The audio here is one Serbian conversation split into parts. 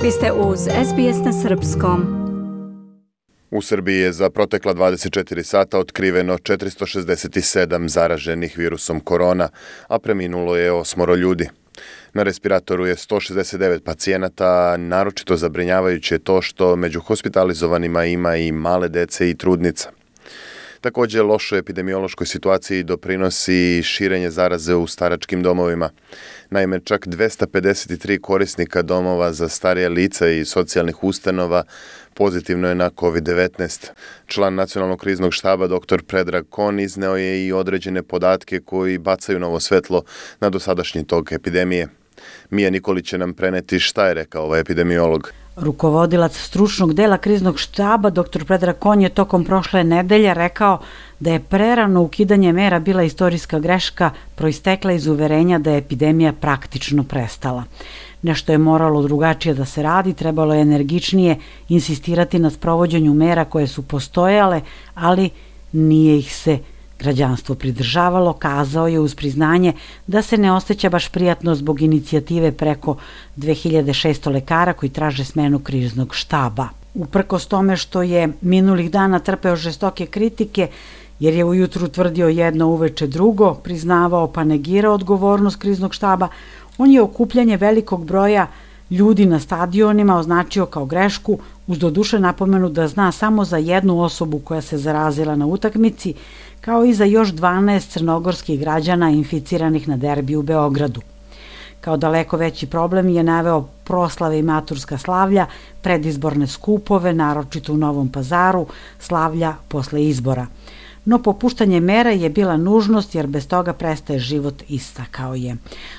Vi ste uz SBS na Srpskom. U Srbiji je za protekla 24 sata otkriveno 467 zaraženih virusom korona, a preminulo je 8 ljudi. Na respiratoru je 169 pacijenata, a naročito zabrinjavajuće je to što među hospitalizovanima ima i male dece i trudnica. Također, lošoj epidemiološkoj situaciji doprinosi širenje zaraze u staračkim domovima. Naime, čak 253 korisnika domova za starije lica i socijalnih ustanova pozitivno je na COVID-19. Član Nacionalnog kriznog štaba dr. Predrag Kon izneo je i određene podatke koji bacaju novo svetlo na dosadašnji tok epidemije. Mija Nikolić će nam preneti šta je rekao ovaj epidemiolog. Rukovodilac stručnog dela kriznog štaba, dr. Predrag Kon, je tokom prošle nedelje rekao da je prerano ukidanje mera bila istorijska greška proistekla iz uverenja da je epidemija praktično prestala. Nešto je moralo drugačije da se radi, trebalo je energičnije insistirati na sprovođenju mera koje su postojale, ali nije ih se građanstvo pridržavalo, kazao je uz priznanje da se ne osjeća baš prijatno zbog inicijative preko 2600 lekara koji traže smenu kriznog štaba. Uprkos tome što je minulih dana trpeo žestoke kritike, jer je ujutru tvrdio jedno, uveče drugo, priznavao pa negirao odgovornost kriznog štaba, on je okupljanje velikog broja ljudi na stadionima označio kao grešku, uz doduše napomenu da zna samo za jednu osobu koja se zarazila na utakmici, kao i za još 12 crnogorskih građana inficiranih na derbiju u Beogradu. Kao daleko veći problem je naveo proslave i maturska slavlja, predizborne skupove, naročito u Novom Pazaru, slavlja posle izbora. No popuštanje mera je bila nužnost jer bez toga prestaje život, istakao je.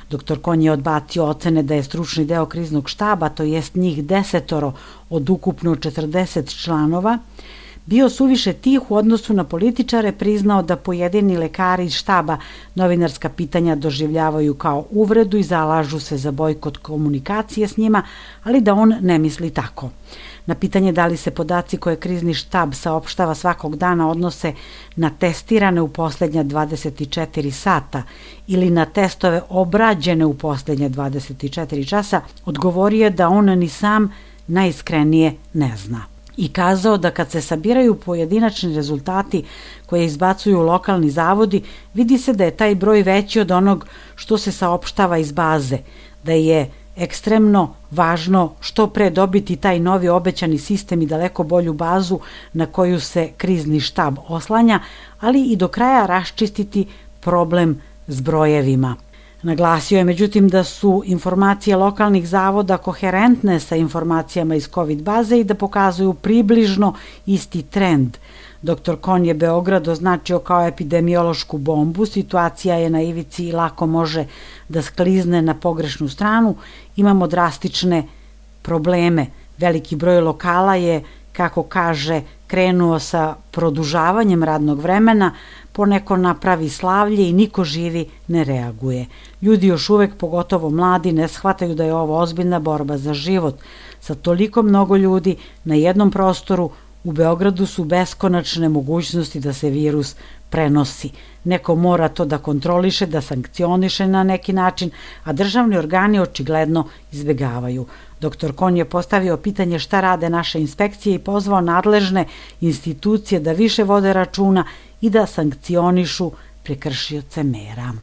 Dr. Kon je odbacio ocene da je stručni deo kriznog štaba, to jest njih 10 od ukupno 40 članova, bio suviše tih u odnosu na političare, priznao da pojedini lekari iz štaba novinarska pitanja doživljavaju kao uvredu i zalažu se za bojkot komunikacije s njima, ali da on ne misli tako. Na pitanje da li se podaci koje krizni štab saopštava svakog dana odnose na testirane u posljednja 24 sata ili na testove obrađene u posljednja 24 časa, odgovorio je da on ni sam najiskrenije ne zna. I kazao da kad se sabiraju pojedinačni rezultati koje izbacuju lokalni zavodi, vidi se da je taj broj veći od onog što se saopštava iz baze, da je ekstremno važno što pre dobiti taj novi obećani sistem i daleko bolju bazu na koju se krizni štab oslanja, ali i do kraja raščistiti problem s brojevima. Naglasio je međutim da su informacije lokalnih zavoda koherentne sa informacijama iz COVID baze i da pokazuju približno isti trend. Dr. Kon je Beograd označio kao epidemiološku bombu, situacija je na ivici i lako može da sklizne na pogrešnu stranu, imamo drastične probleme. Veliki broj lokala je, kako kaže, krenuo sa produžavanjem radnog vremena, poneko napravi slavlje i niko živi ne reaguje. Ljudi još uvek, pogotovo mladi, ne shvataju da je ovo ozbiljna borba za život. Sa toliko mnogo ljudi na jednom prostoru u Beogradu su beskonačne mogućnosti da se virus prenosi. Neko mora to da kontroliše, da sankcioniše na neki način, a državni organi očigledno izbegavaju. Dr. Kon je postavio pitanje šta rade naše inspekcije i pozvao nadležne institucije da više vode računa i da sankcionišu prekršioce mera.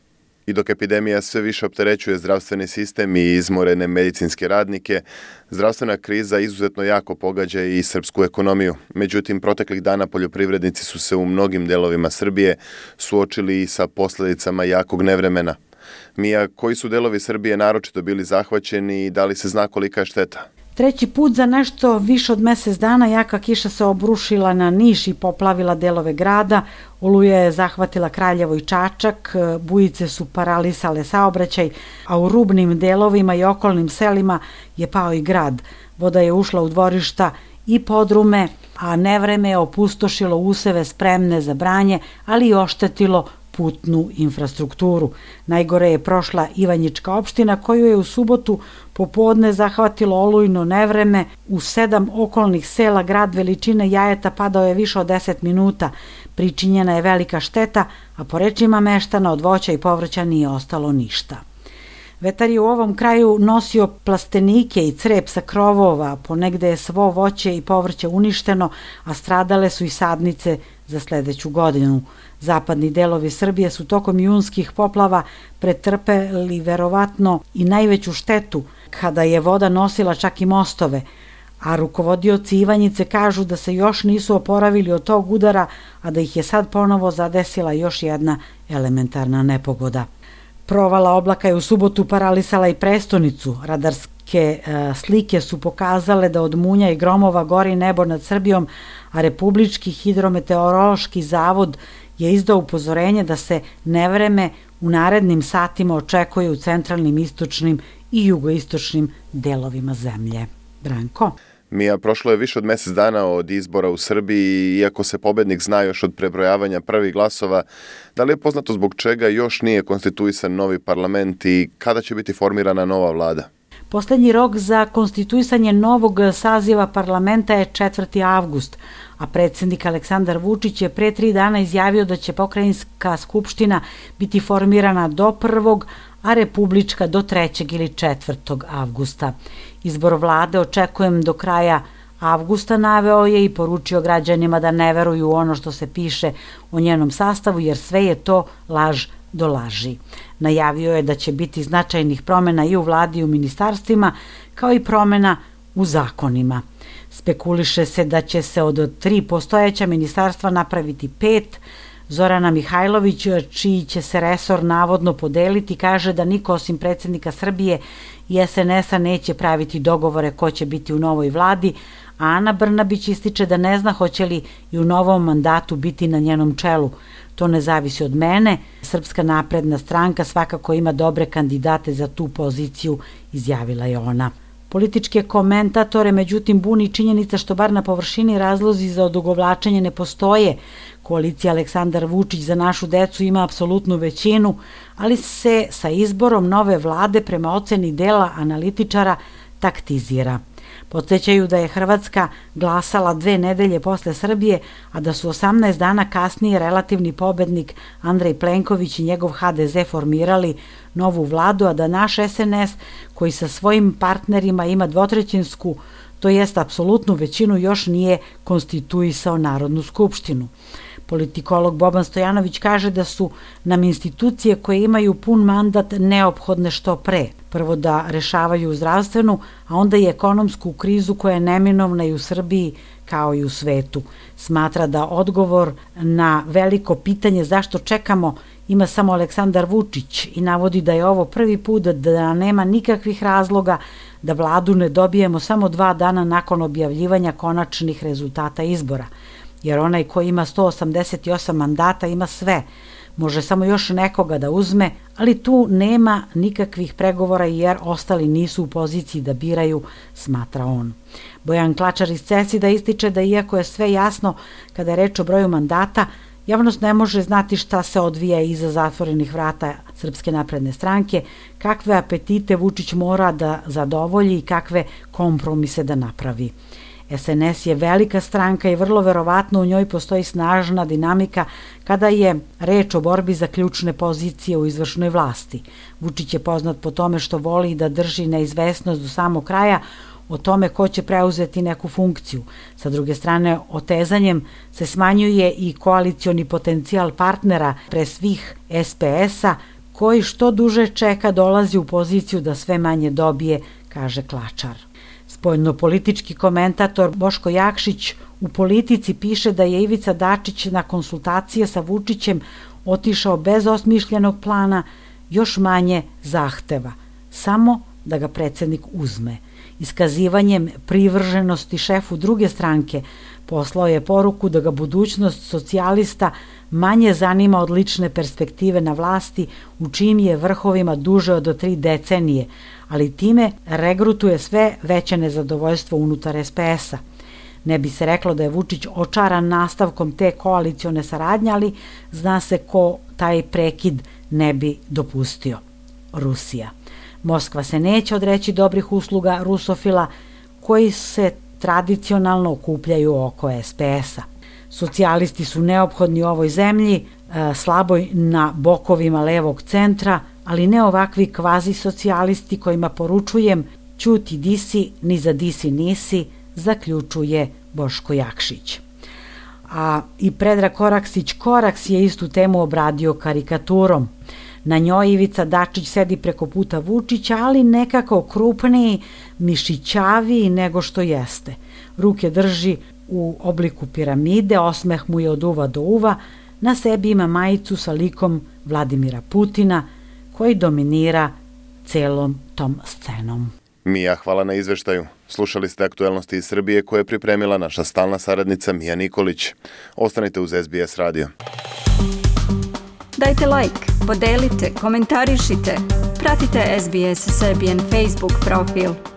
I dok epidemija sve više opterećuje zdravstveni sistem i izmorene medicinske radnike, zdravstvena kriza izuzetno jako pogađa i srpsku ekonomiju. Međutim, proteklih dana poljoprivrednici su se u mnogim delovima Srbije suočili i sa posljedicama jakog nevremena. Mija, koji su delovi Srbije naročito bili zahvaćeni i da li se zna kolika je šteta? Treći put za nešto više od mjesec dana jaka kiša se obrušila na Niš i poplavila delove grada. Oluja je zahvatila Kraljevo i Čačak, bujice su paralisale saobraćaj, a u rubnim delovima i okolnim selima je pao i grad. Voda je ušla u dvorišta i podrume, a nevreme je opustošilo useve spremne za branje, ali i oštetilo putnu infrastrukturu. Najgore je prošla Ivanjička opština koju je u subotu popodne zahvatilo olujno nevreme. U 7 okolnih sela grad veličine Jajeta padao je više od 10 minuta. Pričinjena je velika šteta, a po rečima meštana od voća i povrća nije ostalo ništa. Vetar je u ovom kraju nosio plastenike i crep sa krovova, ponegde je svo voće i povrće uništeno, a stradale su i sadnice za sledeću godinu. Zapadni delovi Srbije su tokom junskih poplava pretrpeli verovatno i najveću štetu, kada je voda nosila čak i mostove, a rukovodioci Ivanjice kažu da se još nisu oporavili od tog udara, a da ih je sad ponovo zadesila još jedna elementarna nepogoda. Provala oblaka je u subotu paralisala i prestonicu. Radarske slike su pokazale da od munja i gromova gori nebo nad Srbijom, a Republički hidrometeorološki zavod je izdao upozorenje da se nevreme u narednim satima očekuje u centralnim, istočnim i jugoistočnim delovima zemlje. Branko? Mija, prošlo je više od mesec dana od izbora u Srbiji, iako se pobednik zna još od prebrojavanja prvih glasova, da li je poznato zbog čega još nije konstituisan novi parlament i kada će biti formirana nova vlada? Poslednji rok za konstituisanje novog saziva parlamenta je 4. avgust, a predsjednik Aleksandar Vučić je pre 3 dana izjavio da će pokrajinska skupština biti formirana do 1. a republička do 3. ili 4. avgusta. Izbor vlade očekujem do kraja avgusta, naveo je i poručio građanima da ne veruju u ono što se piše o njenom sastavu, jer sve je to laž do laži. Najavio je da će biti značajnih promena i u vladi i u ministarstvima, kao i promena u zakonima. Spekuliše se da će se od 3 postojeća ministarstva napraviti 5. Zorana Mihajlović, čiji će se resor navodno podeliti, kaže da niko osim predsjednika Srbije i SNS-a neće praviti dogovore ko će biti u novoj vladi, a Ana Brnabić ističe da ne zna hoće li i u novom mandatu biti na njenom čelu. To ne zavisi od mene. Srpska napredna stranka svakako ima dobre kandidate za tu poziciju, izjavila je ona. Političke komentatore međutim buni činjenica što bar na površini razlozi za odugovlačenje ne postoje. Koalicija Aleksandar Vučić za našu decu ima apsolutnu većinu, ali se sa izborom nove vlade prema oceni dela analitičara taktizira. Podsjećaju da je Hrvatska glasala 2 nedelje posle Srbije, a da su 18 dana kasnije relativni pobednik Andrej Plenković i njegov HDZ formirali novu vladu, a da naš SNS, koji sa svojim partnerima ima 2/3, to jest apsolutnu većinu, još nije konstituisao Narodnu skupštinu. Politikolog Boban Stojanović kaže da su nam institucije koje imaju pun mandat neophodne što pre. Prvo da rešavaju zdravstvenu, a onda i ekonomsku krizu koja je neminovna i u Srbiji kao i u svetu. Smatra da odgovor na veliko pitanje zašto čekamo ima samo Aleksandar Vučić i navodi da je ovo prvi put da nema nikakvih razloga da vladu ne dobijemo samo 2 dana nakon objavljivanja konačnih rezultata izbora. Jer onaj ko ima 188 mandata ima sve. Može samo još nekoga da uzme, ali tu nema nikakvih pregovora jer ostali nisu u poziciji da biraju, smatra on. Bojan Klačar iz CESID-a ističe da iako je sve jasno kada je reč o broju mandata, javnost ne može znati šta se odvija iza zatvorenih vrata Srpske napredne stranke, kakve apetite Vučić mora da zadovolji i kakve kompromise da napravi. SNS je velika stranka i vrlo verovatno u njoj postoji snažna dinamika kada je reč o borbi za ključne pozicije u izvršnoj vlasti. Vučić je poznat po tome što voli da drži neizvesnost do samog kraja o tome ko će preuzeti neku funkciju. Sa druge strane, otezanjem se smanjuje i koalicioni potencijal partnera, pre svih SPS-a, koji što duže čeka dolazi u poziciju da sve manje dobije, kaže Klačar. Spoljnopolitički komentator Boško Jakšić u Politici piše da je Ivica Dačić na konsultacije sa Vučićem otišao bez osmišljenog plana, još manje zahteva, samo da ga predsjednik uzme. Iskazivanjem privrženosti šefu druge stranke poslao je poruku da ga budućnost socijalista manje zanima od lične perspektive na vlasti u čijim je vrhovima duže od 3 decenije, ali time regrutuje sve veće nezadovoljstvo unutar SPS-a. Ne bi se reklo da je Vučić očaran nastavkom te koalicione saradnje, ali zna se ko taj prekid ne bi dopustio. Rusija. Moskva se neće odreći dobrih usluga rusofila koji se tradicionalno okupljaju oko SPS-a. Socijalisti su neophodni u ovoj zemlji, slaboj na bokovima levog centra, ali ne ovakvi kvazi socijalisti kojima poručujem ćuti disi, ni za disi nisi, zaključuje Boško Jakšić. A i Predrag Koraks je istu temu obradio karikaturom. Na njoj Ivica Dačić sedi preko puta Vučića, ali nekako krupniji, mišićaviji nego što jeste. Ruke drži u obliku piramide, osmeh mu je od uva do uva, na sebi ima majicu sa likom Vladimira Putina, koji dominira celom tom scenom. Mija, hvala na izveštaju. Slušali ste aktuelnosti iz Srbije koje je pripremila naša stalna saradnica Mija Nikolić. Ostanite uz SBS radio. Dajte like, podelite, komentarišite. Pratite SBS Serbian Facebook profil.